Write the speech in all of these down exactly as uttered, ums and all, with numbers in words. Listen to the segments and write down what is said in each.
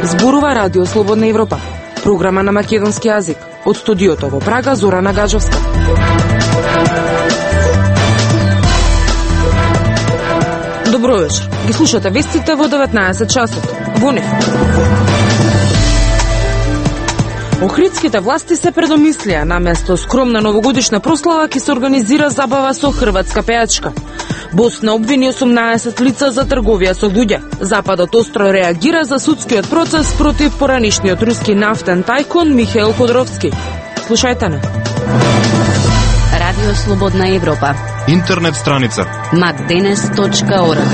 Зборува Радио Слободна Европа, програма на македонски јазик. Од студиото во Прага, Зорана Гаджовска. Добро вечер. Ги слушате вестите во деветнаесет часот. Во нив. Охридските власти се предомислија, наместо скромна новогодишна прослава ќе се организира забава со хрватска пејачка. Босна обвини осумнаесет лица за трговија со луѓе. Западот остро реагира за судскиот процес против поранишниот руски нафтен тајкун Михаил Ходоровски. Слушајте не. Радио Слободна Европа. Интернет страница макденес точка орг.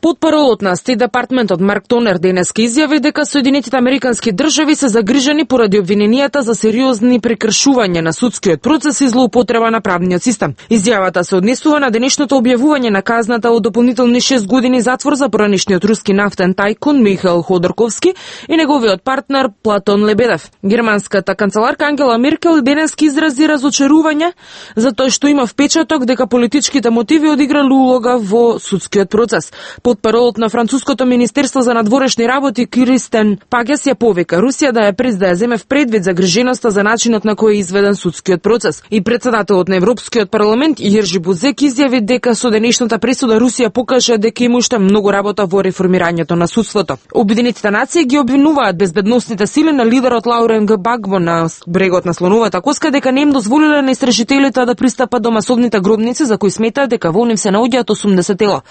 Потпаролот на Стейт Департментот Марк Тонер денеска изјави дека Соединетите Американски држави се загрижени поради обвиненијата за сериозни прекршување на судскиот процес и злоупотреба на правниот систем. Изјавата се однесува на денешното објавување на казната од дополнителни шест години затвор за поранишниот руски нафтен тајкун Михаил Ходорковски и неговиот партнер Платон Лебедев. Германската канцеларка Ангела Меркел денеска изрази разочарување за тоа што има впечаток дека политичките мотиви одиграле улога во судскиот процес. Потпаролот на француското министерство за надворешни работи Кристен Пагес ја повика Русија да ја през да ја земе в предвид загриженоста за начинот на кој е изведен судскиот процес. И председателот на Европскиот парламент Јержи Бузек изјави дека со денешната пресуда Русија покажа дека има уште многу работа во реформирањето на судството. Обединетите нации ги обвинуваат безбедносните сили на лидерот Лаурен Гбагбо на брегот на слоновата коска дека не им дозволиле на истражителите да пристапат до масовните гробници за кои сметаат дека во нив се наоѓаат осумдесет тела.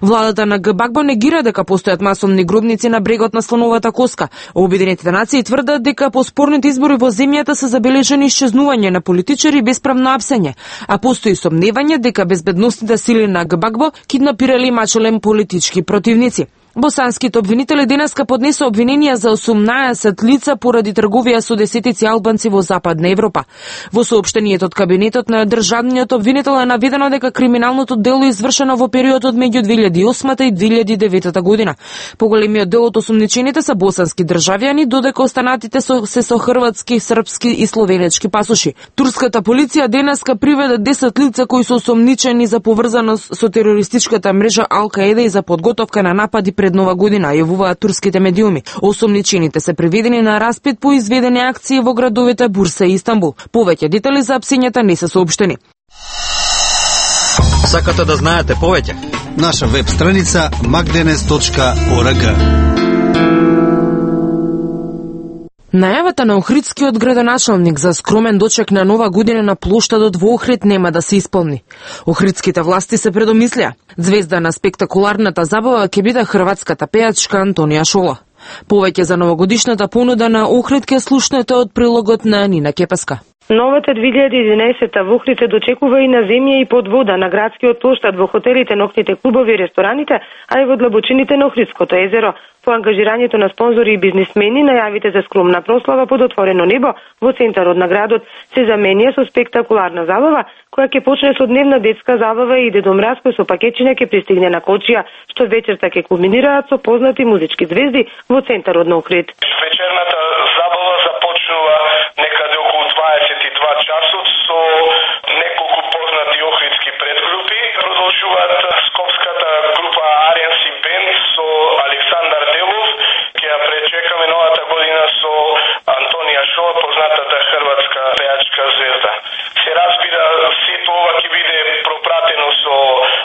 Владата на Гбагбо негира дека постојат масовни гробници на брегот на слоновата коска. Обединетите нации тврдат дека по спорните избори во земјата се забележани исчезнување на политичари без правно апсење, а постои сомневање дека безбедносните сили на Гбагбо киднапирали и мачеле политички противници. Босанските обвинители денеска поднесе обвиненија за осумнаесет лица поради трговија со десетици албанци во Западна Европа. Во соопштението од кабинетот на државниот обвинител е наведено дека криминалното дело е извршено во периодот меѓу две илјади и осма и две илјади и девета година. Поголемиот дел од осумничените се босански државјани, додека останатите со, се со хрватски, српски и словенечки пасоши. Турската полиција денеска приведе десет лица кои се осумничени за поврзаност со терористичката мрежа Ал-Каеда и за подготовка на напади пред Нова година, јавуваат турските медиуми. Осумничените се приведени на распит по изведени акции во градовите Бурса и Истанбул. Повеќе детали за апсењата не се соопштени. Сакате да знаете повеќе? Наша веб страница макденес точка орг. Најавата на охридскиот градоначалник за скромен дочек на Нова година на плоштадот во Охрид нема да се исполни. Охридските власти се предомислија. Звезда на спектакуларната забава ќе биде хрватската пејачка Антонија Шола. Повеќе за новогодишната понуда на Охрид ќе слушнете од прилогот на Нина Кепеска. Новата две илјади и единаесета во Охрид се дочекува и на земја и под вода на градскиот плоштад, во хотелите, ноќните клубови и рестораните, а и во длабочините на Охридското езеро. По ангажирањето на спонзори и бизнисмени, најавите за скромна прослава под отворено небо во центарот на градот се заменија со спектакуларна забава, која ќе почне со дневна детска забава и Дедо Мраз кој со пакетчиња ќе пристигне на Кочија, што вечерта ќе кулминираат со познати музички звезди во центарот на Охрид. Вечерната забава започнува некаде околу дваесет и два часот со неколку познати охридски предгрупи. Продолжуваат скопската група Арианси Бенд со Александар Делов. Ќе ја пречекаме новата година со Антонија Шола, познатата хрватска пејачка звезда. Се разбира, сето ова ќе биде пропратено со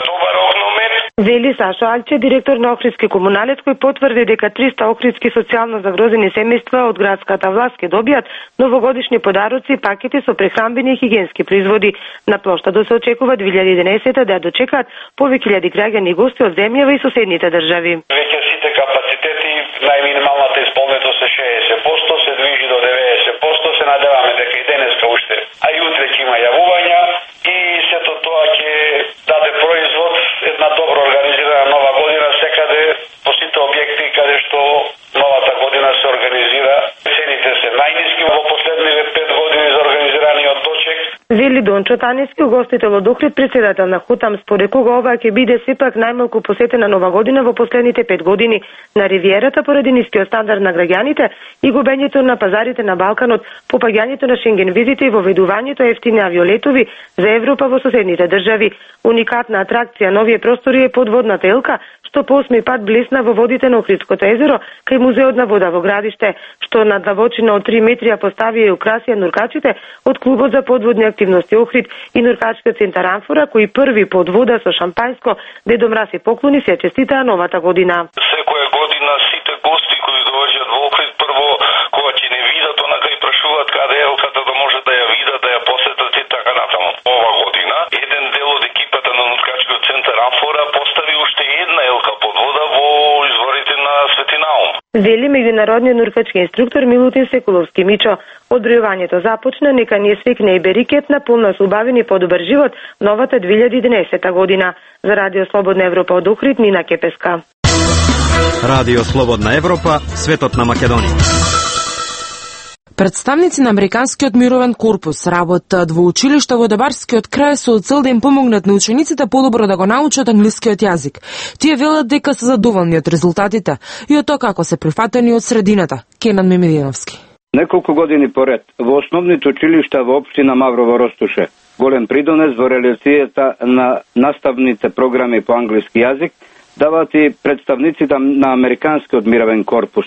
добар огномет. Вели Сашо Алче, директор на Охридски комуналец, кој потврди дека триста охридски социјално загрозени семејства од градската власт ќе добијат новогодишни подароци и пакети со прехранбени и хигиенски производи. На плоштадот се очекува две илјади и единаесета да ја дочекаат повеќе илјади граѓани и гости од земјава и соседните држави. Веќе сите капацитети, најминималната исполнетост е шеесет проценти, се движи до деветдесет проценти, се надеваме дека и денеска уште, а и утре ќе има јавувања и сето тоа ќе даде производ една добро организирана нова година секаде по сите објекти каде што новата година се организира. Цените се најниски во последниве пет години за организираниот дочек. Вели Дончо Танески, угостител од Охрид, председател на Хотам, според кога ова ќе биде сепак најмалку посетена нова година во последните пет години на Ривиерата поради нискиот стандард на граѓаните и губењето на пазарите на Балканот, попаѓањето на Шенген визите и воведувањето ефтини авиолетови за Европа во соседните држави. Уникатна атракција на овие простори е подводната елка, што по осми пат блесна во водите на Охридското езеро кај Музеот на вода во Градиште, што на длабочина од три метри ја поставија и украсија нуркачите од клубот за подводни активности Охрид и нуркачкиот центар Амфора, кои први под вода со шампајско Дедо Мраз и поклони се честитаа новата година. Секоја година сите гости кои доаѓаат во Охрид прво кога ќе не видат онака и прашуваат каде е елката да може да ја видат, да ја посетат и така натаму. Ова година еден дел од екипата на нуркачкиот центар Амфора постави уште една елка под вода во изворите на Свети Наум. Вели меѓународниот нуркачки инструктор Милутин Секуловски Мичо. Одбројувањето започна, нека ни свикне и Берикет на полна со убавен и подобар живот новата две илјади и единаесета година. За Радио Слободна Европа од Охрид, Нина Кепеска. Радио Слободна Европа, светот на Македонија. Представници на Американскиот мировен корпус работат во училишта во Дебарскиот крај со цел да им помогнат на учениците подобро да го научат англискиот јазик. Тие велат дека се задоволни од резултатите и од тоа како се прифатени од средината. Кенан Мемединовски. Неколку години поред во основните училишта во општина Маврово Ростуше голем придонес во реализацијата на наставните програми по англиски јазик даваат и представниците на Американскиот мировен корпус.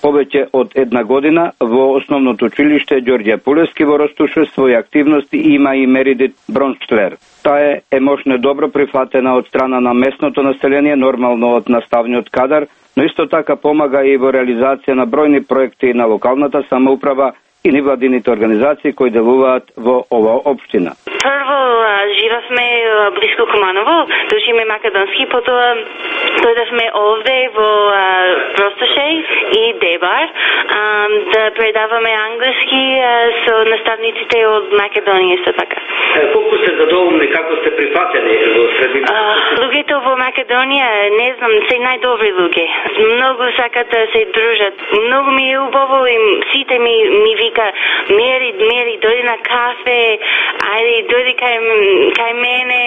Повеќе од една година во основното училиште Ѓорѓе Пулески во Ростуше своји активности има и Меридит Бронштлер. Таа е мощно добро прифатена од страна на местното население, нормално од наставниот кадар, но исто така помага и во реализација на бројни проекти на локалната самоуправа и невладините организации кои делуваат во оваа општина. Прво живавме блиску Куманово, да учиме македонски, потоа дојдовме овде во Ростуше и Дебар да предаваме англиски со наставниците од Македонија исто така. Колку сте задоволни, како сте прифатени во средината? Луѓето во Македонија, не знам, се најдобри луѓе. Многу сакат да се дружат. Многу ми е убаво и сите ми ми вика Мери, Мери, дојди на кафе, ајде дојди кај кај мене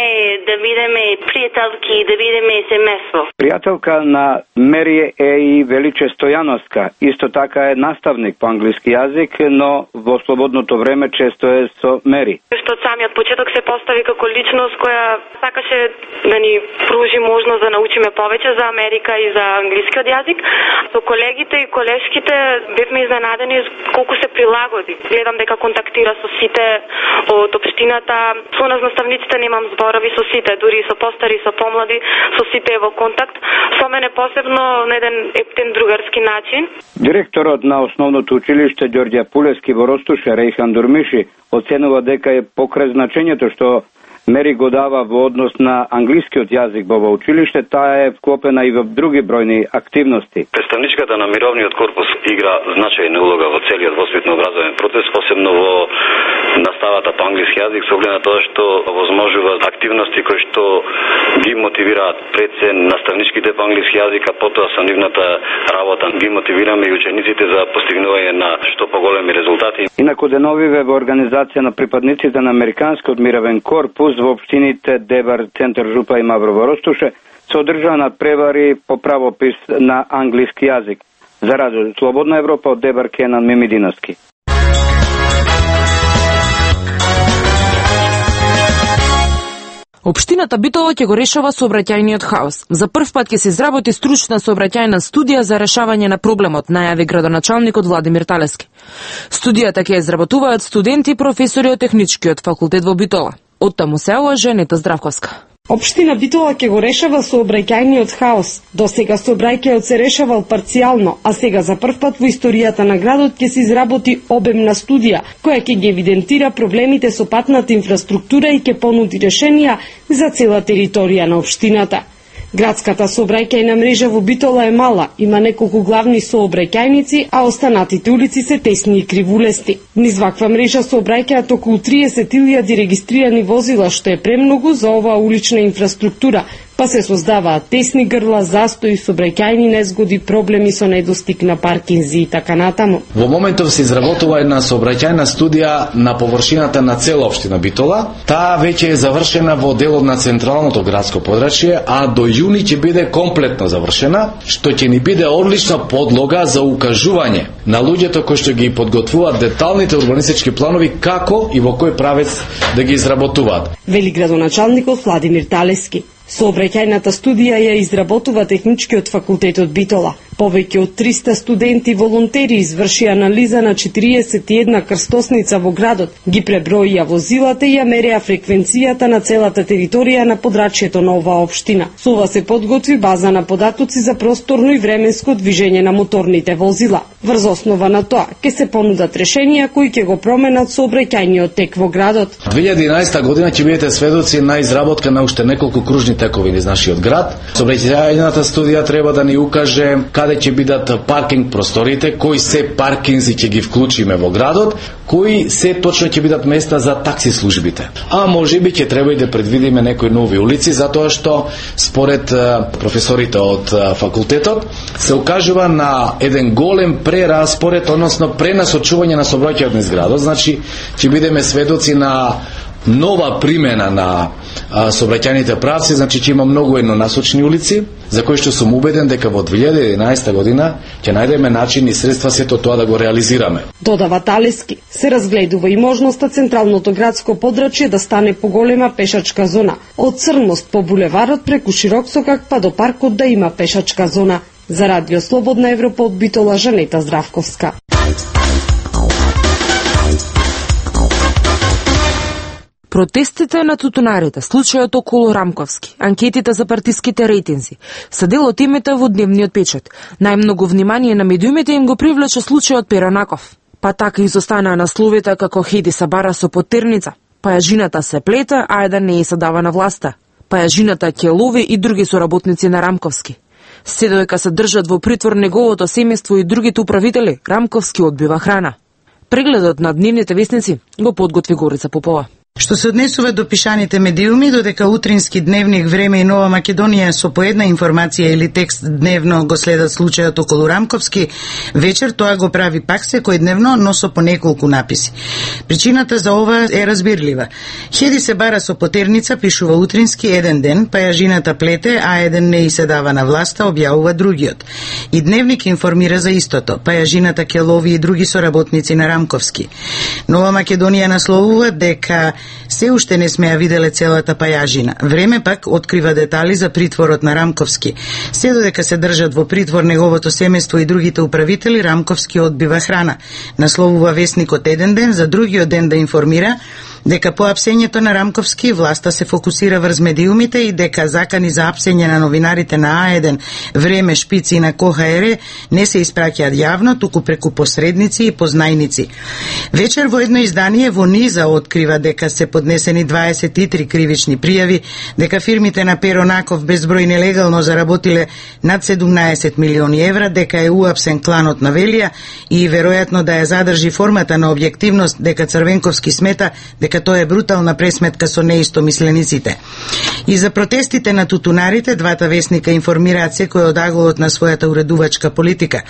да бидеме пријателки, да бидеме семејство. Пријателка на Мери е и Величе Стојановска, исто така е наставник по англиски јазик, но во слободното време често е со Мери. Што од самиот почеток се постави како личност која сакаше да ни пружи можност да научиме повеќе за Америка и за англискиот јазик. Со колегите и колешките бевме изненадени колку се прилагоди. Гледам дека контактира со сите од општината. Со нас наставниците немам зборови со сите, дури со постари, со помлади, со сите е во контакт. Со мене посебно на еден ептен другарски начин. Директорот на основното училиште Ѓорѓе Пулески во Ростуше, Рејхан Дурмиши, оценува дека е покрај значењето што Мери го дава во однос на англискиот јазик во училиште, таа е вклопена и во други бројни активности. Представничката на мировниот корпус игра значајна улога во целиот воспитно-образовен процес, посебно во наставата по англиски јазик, со оглед на тоа што возможува активности кои што ги мотивираат пред се наставничките по англиски јазик, а потоа со нивната работа ги мотивираме и учениците за постигнување на што поголеми резултати. Инаку деновиве во организација на припадниците на Американскиот мировен корпус во општините Дебар, Центар Жупа и Маврово Ростуше се одржаа надпревари по правопис на англиски јазик. За Радио Слободна Европа од Дебар, Кенан Мемединовски. Општината Битола ќе го решава сообраќајниот хаос. За прв пат ќе се изработи стручна сообраќајна студија за решавање на проблемот, најави градоначалникот Владимир Талески. Студијата ќе изработуваат студенти и професори од Техничкиот факултет во Битола. Од таму се ова Женета Здравковска. Општина Битола ќе го решава сообраќајниот хаос. До сега сообраќајот се решавал парцијално, а сега за прв пат во историјата на градот ќе се изработи обемна студија, која ќе ги евидентира проблемите со патната инфраструктура и ќе понуди решенија за цела територија на општината. Градската сообраќајна мрежа во Битола е мала, има неколку главни сообраќајници, а останатите улици се тесни и кривулести. Низ ваква мрежа сообраќаат околу триесет илјади регистрирани возила, што е премногу за оваа улична инфраструктура, па се создаваат тесни грла, застои, сообраќајни незгоди, проблеми со недостиг на паркинзи и така натаму. Во моментов се изработува една сообраќајна студија на површината на цела општина Битола. Таа веќе е завршена во делот на централното градско подрачје, а до јуни ќе биде комплетно завршена, што ќе ни биде одлична подлога за укажување на луѓето кои што ги подготвуваат деталните урбанистички планови како и во кој правец да ги изработуваат. Вели градоначалникот Владимир Талески. Сообраќајната студија ја изработува Техничкиот факултет од Битола. Повеќе од триста студенти волонтери извршија анализа на четириесет и една крстосница во градот, ги преброија возилата и ја мереа фреквенцијата на целата територија на подрачјето на оваа општина. Со ова се подготви база на податоци за просторно и временско движење на моторните возила. Врз основа на тоа ќе се понудат решенија кои ќе го променат сообраќајниот тек во градот. две илјади и единаесета година ќе бидете сведоци на изработка на уште неколку кружни текови низ нашиот град. Сообраќајната студија треба да ни укаже каде ќе бидат паркинг просторите, кои се паркинзи ќе ги вклучиме во градот, кои се точно ќе бидат места за такси службите. А можеби ќе треба и да предвидиме некои нови улици, затоа што според професорите од факултетот се укажува на еден голем прераспоред, односно пренасочување на сообраќајот низ градот. Значи ќе бидеме сведоци на нова примена на сообраќајните правци, значи ќе има многу еднонасочни улици, за кои што сум убеден дека во две илјади и единаесета година ќе најдеме начин и средства сето тоа да го реализираме. Додава Талески, се разгледува и можноста централното градско подрачје да стане поголема пешачка зона. Од Црност по булеварот преку Широксокак па до паркот да има пешачка зона. За Радио Слободна Европа од Битола, Жанета Здравковска. Протестите на тутунарите, случајот околу Рамковски, анкетите за партиските рейтинзи, се дел од темите во дневниот печат. Најмногу внимание на медиумите им го привлече случајот Перонаков. Па така изостана насловите како Хеди се бара со потерница, па ја жената се плете, а еден не се дава на власта, па ја жената ќе лови и други соработници на Рамковски. Се додека се држат во притвор неговото семејство и другите управители, Рамковски одбива храна. Прегледот на дневните вестници го подготви Горица Попова. Што се однесува до пишаните медиуми, додека утрински дневник Време и Нова Македонија со по една информација или текст дневно го следат случајот околу Рамковски, вечер тоа го прави пак секој дневно, но со по неколку написи. Причината за ова е разбирлива. Хеди се бара со потерница, пишува утрински еден ден, па ја жената плете, а еден не и се дава на власта, објавува другиот. И дневник информира за истото, па ја жената ќе лови и други соработници на Рамковски. Нова Македонија насловува дека се уште не сме ја виделе целата пајажина. Време пак открива детали за притворот на Рамковски. Се додека се држат во притвор неговото семејство и другите управители, Рамковски одбива храна. Насловува весникот еден ден, за другиот ден да информира дека по апсењето на Рамковски власта се фокусира врз медиумите и дека закани за апсење на новинарите на А еден, Време, Шпици и на КОХР не се испраќаат јавно, туку преку посредници и познајници. Вечер во едно издание во Низа открива дека се поднесени дваесет и три кривични пријави, дека фирмите на Перонаков безброј нелегално заработиле над седумнаесет милиони евра, дека е уапсен кланот на Велија и веројатно да ја задржи формата на објективност, дека Црвенковски смета дека тоа е брутална пресметка со неистомислениците. И за протестите на тутунарите, двата вестника информираат секој од аголот на својата уредувачка политика.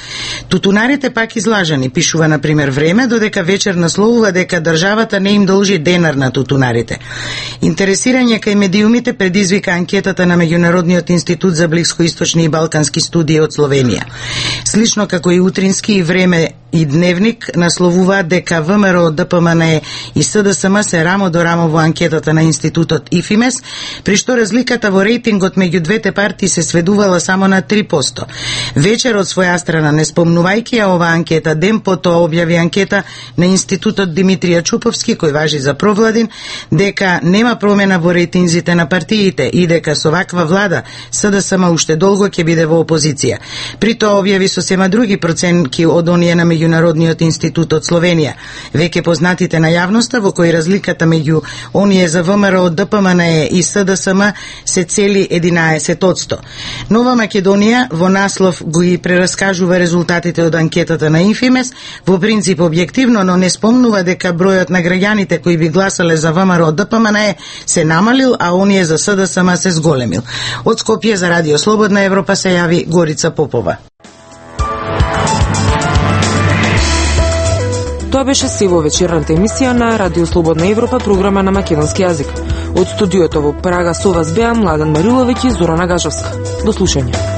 Тутунарите пак излажани, пишува на пример Време, додека вечер насловува дека државата не им должи денар на тутунарите. Интересирање кај медиумите предизвика анкетата на Меѓународниот институт за блискоисточни и балкански студии од Словенија. Слично како и утрински и Време и Дневник насловуваат дека ВМРО, ДПМН и СДСМ се рамо до рамо во анкетата на институтот ИФИМЕС, при што разликата во рейтингот меѓу двете партии се сведувала само на три проценти. Вечер од своја страна, не спомнувајќи ја ова анкета, ден потоа објави анкета на институтот Димитрија Чуповски, кој важи за провладин, дека нема промена во рейтинзите на партиите и дека со ваква влада СДСМ уште долго ќе биде во опозиција. При тоа објави сосема други проценки од оние на Меѓународниот институт од Словенија. Веќе познатите на јавноста во кои разликата меѓу оние за ВМРО, ДПМНЕ и СДСМ се цели единаесет одсто. Нова Македонија во наслов го и прераскажува резултатите од анкетата на Инфимес, во принцип објективно, но не спомнува дека бројот на граѓаните кои би гласале за ВМРО ДПМНЕ се намалил, а оние за СДСМ се зголемил. Од Скопје за Радио Слободна Европа се јави Горица Попова. Тоа беше се во вечерната емисија на Радио Слободна Европа, програма на македонски јазик. Од студиото во Прага со вас беа Младен Мариловиќ и Зорана Гажовска. До слушање.